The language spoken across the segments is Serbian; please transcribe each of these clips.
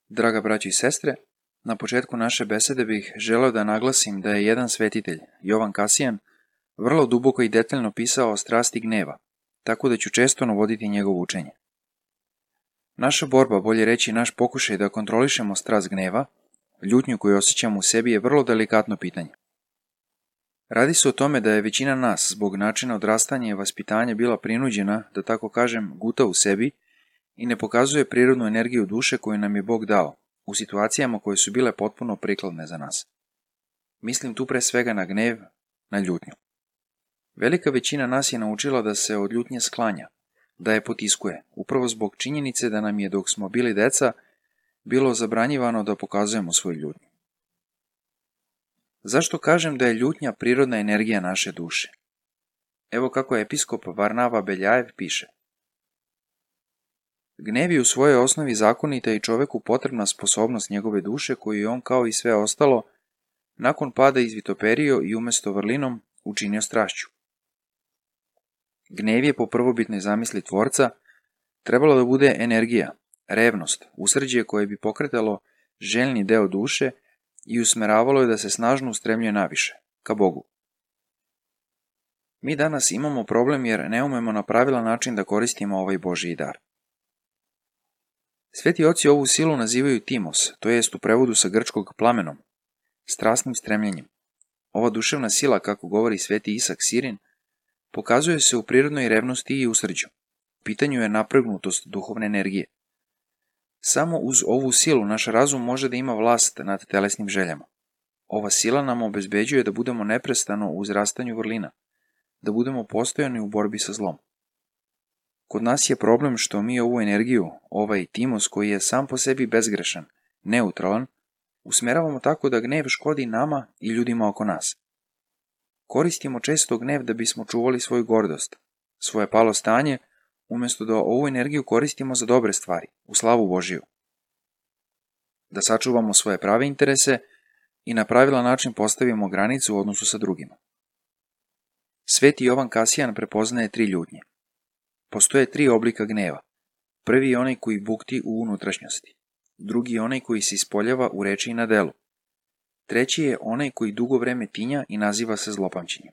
Draga braćo i sestre, na početku naše besede bih želeo da naglasim da je jedan svetitelj, Jovan Kasijan, vrlo duboko i detaljno pisao o strasti gneva, tako da ću često navoditi njegovo učenje. Naša borba, bolje reći naš pokušaj da kontrolišemo strast gneva, ljutnju koju osjećamo u sebi, je vrlo delikatno pitanje. Radi se o tome da je većina nas zbog načina odrastanja i vaspitanja bila prinuđena, da tako kažem, guta u sebi i ne pokazuje prirodnu energiju duše koju nam je Bog dao, u situacijama koje su bile potpuno prikladne za nas. Mislim tu pre svega na gnev, na ljutnju. Velika većina nas je naučila da se od ljutnje sklanja, da je potiskuje, upravo zbog činjenice da nam je, dok smo bili deca, bilo zabranjivano da pokazujemo svoju ljutnju. Zašto kažem da je ljutnja prirodna energija naše duše? Evo kako episkop Varnava Beljajev piše. Gnev je u svojoj osnovi zakonita i čoveku potrebna sposobnost njegove duše koju je on, kao i sve ostalo, nakon pada izvitoperio i umesto vrlinom učinio strašću. Gnev je po prvobitnoj zamisli tvorca trebalo da bude energija, revnost, usrđe koje bi pokretalo željni deo duše i usmeravalo je da se snažno ustremljuje naviše, ka Bogu. Mi danas imamo problem jer ne umemo na pravilan način da koristimo ovaj Božji dar. Sveti oci ovu silu nazivaju timos, to jest u prevodu sa grčkog plamenom, strasnim stremljenjem. Ova duševna sila, kako govori sveti Isak Sirin, pokazuje se u prirodnoj revnosti i usrđu. U pitanju je napregnutost duhovne energije. Samo uz ovu silu naš razum može da ima vlast nad telesnim željama. Ova sila nam obezbeđuje da budemo neprestano u uzrastanju vrlina, da budemo postojani u borbi sa zlom. Kod nas je problem što mi ovu energiju, ovaj timos koji je sam po sebi bezgrešan, neutralan, usmeravamo tako da gnev škodi nama i ljudima oko nas. Koristimo često gnev da bismo čuvali svoju gordost, svoje palo stanje, umjesto da ovu energiju koristimo za dobre stvari, u slavu Božiju. Da sačuvamo svoje prave interese i na pravilan način postavimo granicu u odnosu sa drugima. Sveti Jovan Kasijan prepoznaje 3 ljutnje. Postoje 3 oblika gneva. Prvi je onaj koji bukti u unutrašnjosti. Drugi je onaj koji se ispoljava u reči i na delu. Treći je onaj koji dugo vreme tinja i naziva se zlopamćenjem.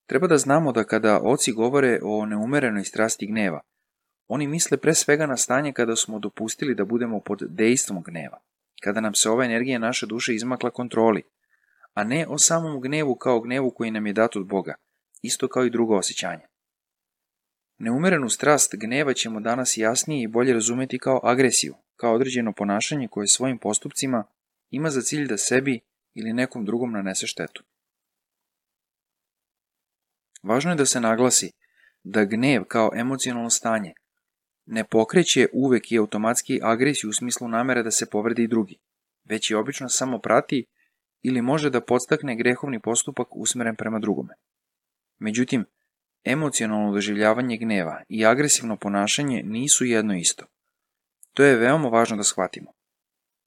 Treba da znamo da kada oci govore o neumerenoj strasti gneva, oni misle pre svega na stanje kada smo dopustili da budemo pod dejstvom gneva, kada nam se ova energija naše duše izmakla kontroli, a ne o samom gnevu kao gnevu koji nam je dat od Boga, isto kao i drugo osjećanje. Neumerenu strast gneva ćemo danas jasnije i bolje razumeti kao agresiju, kao određeno ponašanje koje svojim postupcima ima za cilj da sebi ili nekom drugom nanese štetu. Važno je da se naglasi da gnev kao emocionalno stanje ne pokreće uvek i automatski agresiju u smislu namere da se povredi drugi, već je obično samo prati ili može da podstakne grehovni postupak usmeren prema drugome. Međutim, emocionalno doživljavanje gneva i agresivno ponašanje nisu jedno isto. To je veoma važno da shvatimo.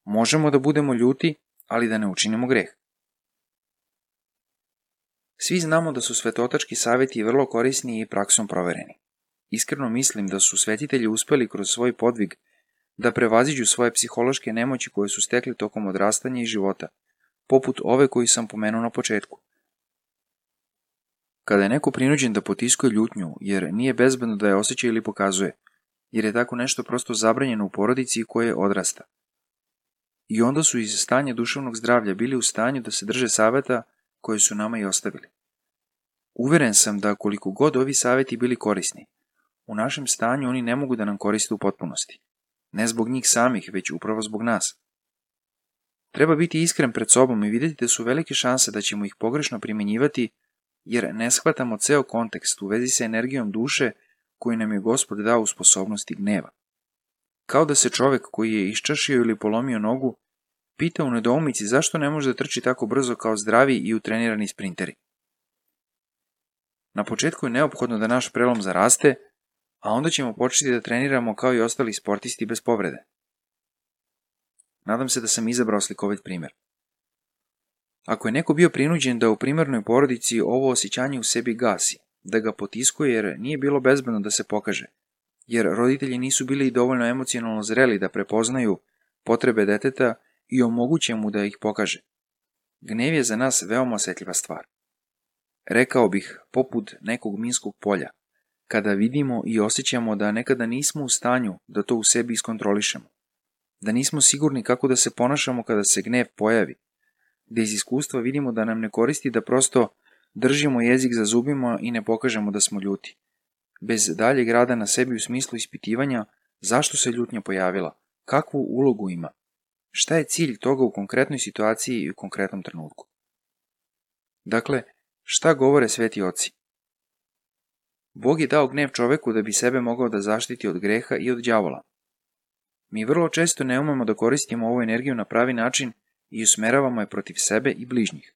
Možemo da budemo ljuti, ali da ne učinimo greh. Svi znamo da su svetotački savjeti vrlo korisni i praksom provereni. Iskreno mislim da su svetitelji uspeli kroz svoj podvig da prevaziđu svoje psihološke nemoći koje su stekli tokom odrastanja i života, poput ove koju sam pomenuo na početku. Kada je neko prinuđen da potiskuje ljutnju jer nije bezbedno da je osjeća ili pokazuje, jer je tako nešto prosto zabranjeno u porodici koje odrasta. I onda su iz stanja duševnog zdravlja bili u stanju da se drže saveta koje su nama i ostavili. Uveren sam da koliko god ovi saveti bili korisni, u našem stanju oni ne mogu da nam koriste u potpunosti. Ne zbog njih samih, već upravo zbog nas. Treba biti iskren pred sobom i vidjeti da su velike šanse da ćemo ih pogrešno primjenjivati, jer ne shvatamo ceo kontekst u vezi sa energijom duše koju nam je Gospod dao u sposobnosti gneva. Kao da se čovek koji je iščašio ili polomio nogu pita u nedoumici zašto ne može da trči tako brzo kao zdravi i utrenirani sprinteri. Na početku je neophodno da naš prelom zaraste, a onda ćemo početi da treniramo kao i ostali sportisti bez povrede. Nadam se da sam izabrao slikovit primjer. Ako je neko bio prinuđen da u primarnoj porodici ovo osjećanje u sebi gasi, da ga potiskuje jer nije bilo bezbedno da se pokaže, jer roditelji nisu bili dovoljno emocionalno zreli da prepoznaju potrebe deteta i omoguće mu da ih pokaže. Gnev je za nas veoma osjetljiva stvar. Rekao bih, poput nekog minskog polja, kada vidimo i osjećamo da nekada nismo u stanju da to u sebi iskontrolišemo, da nismo sigurni kako da se ponašamo kada se gnev pojavi, da iz iskustva vidimo da nam ne koristi da prosto držimo jezik za zubima i ne pokažemo da smo ljuti, bez daljeg rada na sebi u smislu ispitivanja zašto se ljutnja pojavila, kakvu ulogu ima, šta je cilj toga u konkretnoj situaciji i u konkretnom trenutku. Dakle, šta govore sveti oci? Bog je dao gnev čoveku da bi sebe mogao da zaštiti od greha i od đavola. Mi vrlo često ne umemo da koristimo ovu energiju na pravi način i usmeravamo je protiv sebe i bližnjih.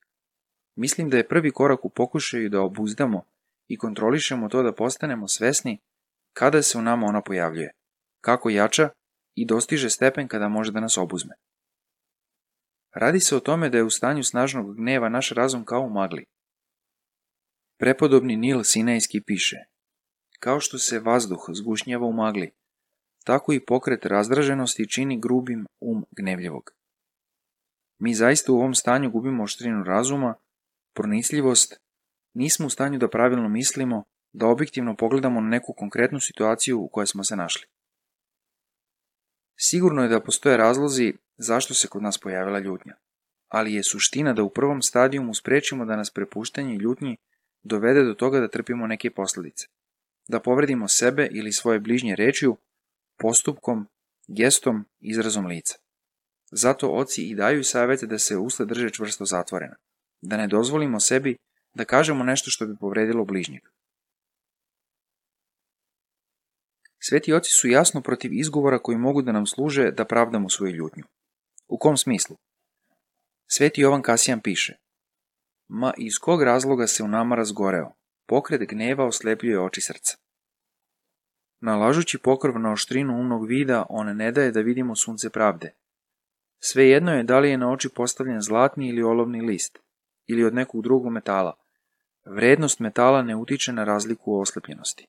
Mislim da je prvi korak u pokušaju da obuzdamo i kontrolišemo to da postanemo svesni kada se u nama ona pojavljuje, kako jača i dostiže stepen kada može da nas obuzme. Radi se o tome da je u stanju snažnog gneva naš razum kao u magli. Prepodobni Nil Sinajski piše: kao što se vazduh zgušnjava u magli, tako i pokret razdraženosti čini grubim gnevljivog. Mi zaista u ovom stanju gubimo oštrinu razuma, pronicljivost, nismo u stanju da pravilno mislimo, da objektivno pogledamo na neku konkretnu situaciju u kojoj smo se našli. Sigurno je da postoje razlozi zašto se kod nas pojavila ljutnja, ali je suština da u prvom stadijumu sprečimo da nas prepuštanje ljutnji dovede do toga da trpimo neke posljedice, da povredimo sebe ili svoje bližnje rečju, postupkom, gestom, izrazom lica. Zato oci i daju savjete da se usta drže čvrsto zatvorena, da ne dozvolimo sebi da kažemo nešto što bi povredilo bližnjeg. Sveti oci su jasno protiv izgovora koji mogu da nam služe da pravdamo svoju ljutnju. U kom smislu? Sveti Jovan Kasijan piše: ma iz kog razloga se u nama razgoreo, pokret gneva oslepljuje oči srca. Nalažući pokrv na oštrinu umnog vida, on ne daje da vidimo sunce pravde. Svejedno je da li je na oči postavljen zlatni ili olovni list, ili od nekog drugog metala. Vrednost metala ne utiče na razliku u oslepljenosti.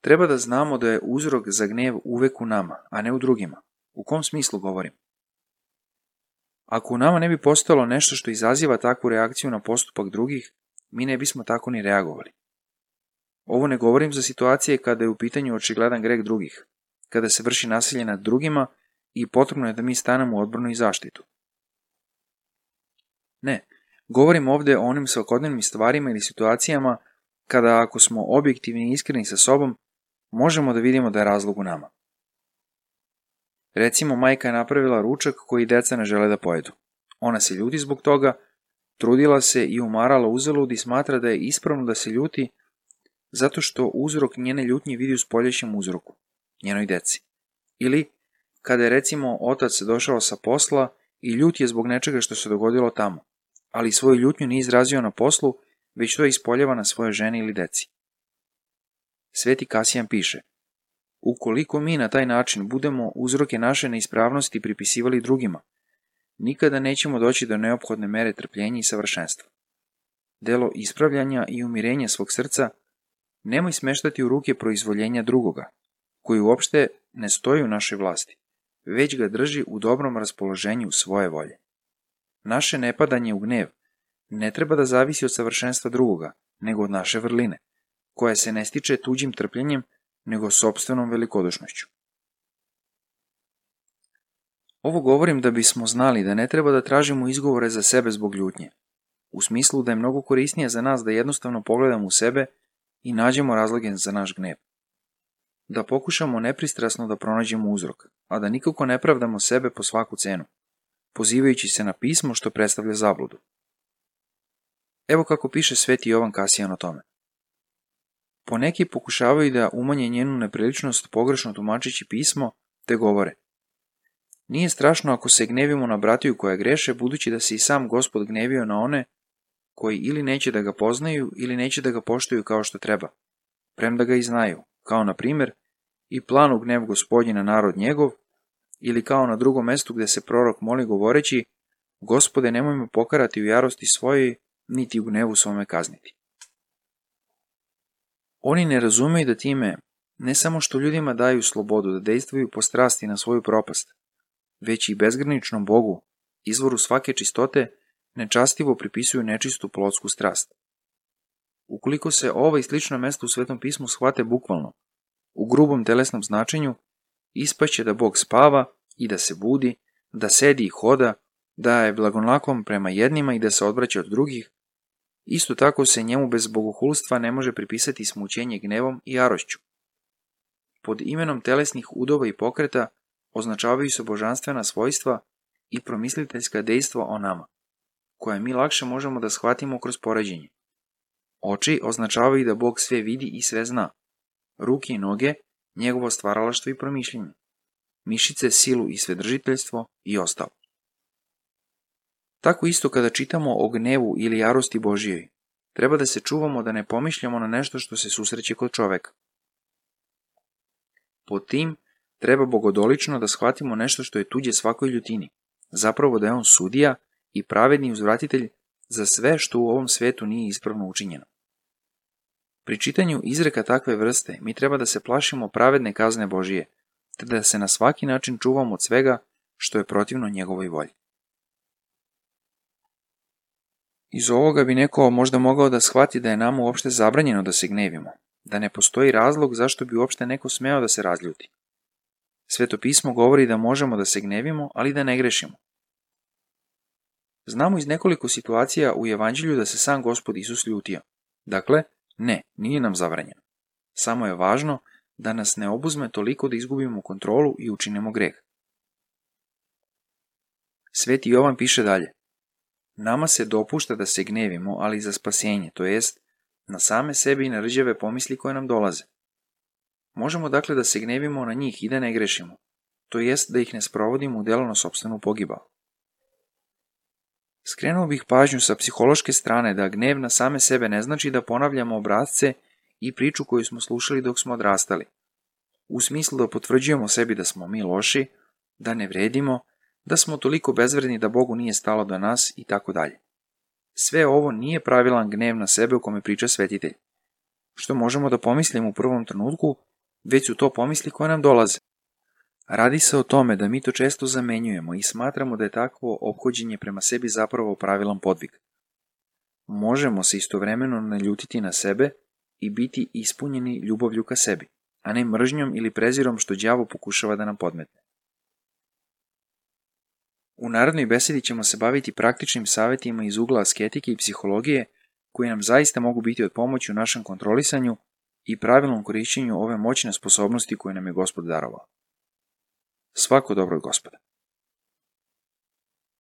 Treba da znamo da je uzrok za gnjev uvek u nama, a ne u drugima. U kom smislu govorim? Ako u nama ne bi postojalo nešto što izaziva takvu reakciju na postupak drugih, mi ne bismo tako ni reagovali. Ovo ne govorim za situacije kada je u pitanju očigledan greh drugih, kada se vrši nasilje nad drugima i potrebno je da mi stanemo u odbranu i zaštitu. Ne, govorim ovdje o onim svakodnevnim stvarima ili situacijama kada, ako smo objektivni i iskreni sa sobom, možemo da vidimo da je razlog u nama. Recimo, majka je napravila ručak koji deca ne žele da pojedu. Ona se ljuti zbog toga, trudila se i umarala uzalud i smatra da je ispravno da se ljuti zato što uzrok njene ljutnje vidi u spoljašnjem uzroku, njenoj deci. Ili kada je recimo otac došao sa posla i ljut je zbog nečega što se dogodilo tamo, ali svoju ljutnju nije izrazio na poslu, već to je ispoljava na svoje ženi ili deci. Sveti Kasijan piše: ukoliko mi na taj način budemo uzroke naše neispravnosti pripisivali drugima, nikada nećemo doći do neophodne mere trpljenja i savršenstva. Delo ispravljanja i umirenja svog srca nemoj smeštati u ruke proizvoljenja drugoga, koji uopšte ne stoji u našoj vlasti, već ga drži u dobrom raspoloženju svoje volje. Naše nepadanje u gnjev ne treba da zavisi od savršenstva drugoga, nego od naše vrline, koja se ne stiče tuđim trpljenjem, nego sopstvenom velikodušnošću. Ovo govorim da bismo znali da ne treba da tražimo izgovore za sebe zbog ljutnje, u smislu da je mnogo korisnije za nas da jednostavno pogledamo u sebe i nađemo razloge za naš gnjev. Da pokušamo nepristrasno da pronađemo uzrok, a da nikako ne pravdamo sebe po svaku cenu, pozivajući se na pismo što predstavlja zabludu. Evo kako piše sveti Jovan Kasijan o tome. Poneki pokušavaju da umanje njenu nepriličnost pogrešno tumačeći pismo, te govore: nije strašno ako se gnevimo na bratiju koja greše, budući da se i sam Gospod gnevio na one koji ili neće da ga poznaju ili neće da ga poštuju kao što treba, premda ga i znaju, kao na primjer i planu gnev Gospodnji na narod njegov, ili kao na drugom mestu gde se prorok moli govoreći: Gospode, nemoj me pokarati u jarosti svojoj, niti u gnevu svome kazniti. Oni ne razumeju da time Ne samo što ljudima daju slobodu da dejstvuju po strasti na svoju propast, već i bezgraničnom Bogu, izvoru svake čistote, nečastivo pripisuju nečistu plotsku strast. Ukoliko se ova i slična mesta u Svetom pismu shvate bukvalno, u grubom telesnom značenju, ispašće da Bog spava i da se budi, da sedi i hoda, da je blagonaklon prema jednima i da se odvraća od drugih. Isto tako se njemu bez bogohulstva ne može pripisati smućenje gnevom i jarošću. Pod imenom telesnih udova i pokreta označavaju se božanstvena svojstva i promisliteljska dejstva o nama, koja mi lakše možemo da shvatimo kroz poređenje. Oči označavaju da Bog sve vidi i sve zna. Ruke i noge, njegovo stvaralaštvo i promišljenje. Mišice, silu i svedržiteljstvo i ostalo. Tako isto kada čitamo o gnevu ili jarosti Božijoj, treba da se čuvamo da ne pomišljamo na nešto što se susreće kod čoveka. Pod tim treba bogodolično da shvatimo nešto što je tuđe svakoj ljutini, zapravo da je on sudija i pravedni uzvratitelj za sve što u ovom svetu nije ispravno učinjeno. Pri čitanju izreka takve vrste mi treba da se plašimo pravedne kazne Božije, te da se na svaki način čuvamo od svega što je protivno njegovoj volji. Iz ovoga bi neko možda mogao da shvati da je nama uopšte zabranjeno da se gnevimo, da ne postoji razlog zašto bi uopšte neko smeo da se razljuti. Sveto pismo govori da možemo da se gnevimo, ali da ne grešimo. Znamo iz nekoliko situacija u Evanđelju da se sam Gospod Isus ljutio. Dakle, ne, nije nam zabranjeno. Samo je važno da nas ne obuzme toliko da izgubimo kontrolu i učinimo greh. Sveti Jovan piše dalje: nama se dopušta da se gnevimo, ali za spasenje, to jest na same sebe i na rđave pomisli koje nam dolaze. Možemo dakle da se gnevimo na njih i da ne grešimo, to jest da ih ne sprovodimo u delo na sopstvenu pogibao. Skrenuo bih pažnju sa psihološke strane da gnev na same sebe ne znači da ponavljamo obrasce i priču koju smo slušali dok smo odrastali, u smislu da potvrđujemo sebi da smo mi loši, da ne vredimo, da smo toliko bezvredni da Bogu nije stalo do nas i tako dalje. Sve ovo nije pravilan gnev na sebe o kome priča svetitelj. Što možemo da pomislimo u prvom trenutku, već su to pomisli koje nam dolaze. Radi se o tome da mi to često zamenjujemo i smatramo da je takvo ophođenje prema sebi zapravo pravilan podvig. Možemo se istovremeno naljutiti na sebe i biti ispunjeni ljubavlju ka sebi, a ne mržnjom ili prezirom što đavo pokušava da nam podmetne. U narednoj besedi ćemo se baviti praktičnim savjetima iz ugla asketike i psihologije koji nam zaista mogu biti od pomoći u našem kontrolisanju i pravilnom korišćenju ove moćne sposobnosti koje nam je Gospod darovao. Svako dobro od Gospoda.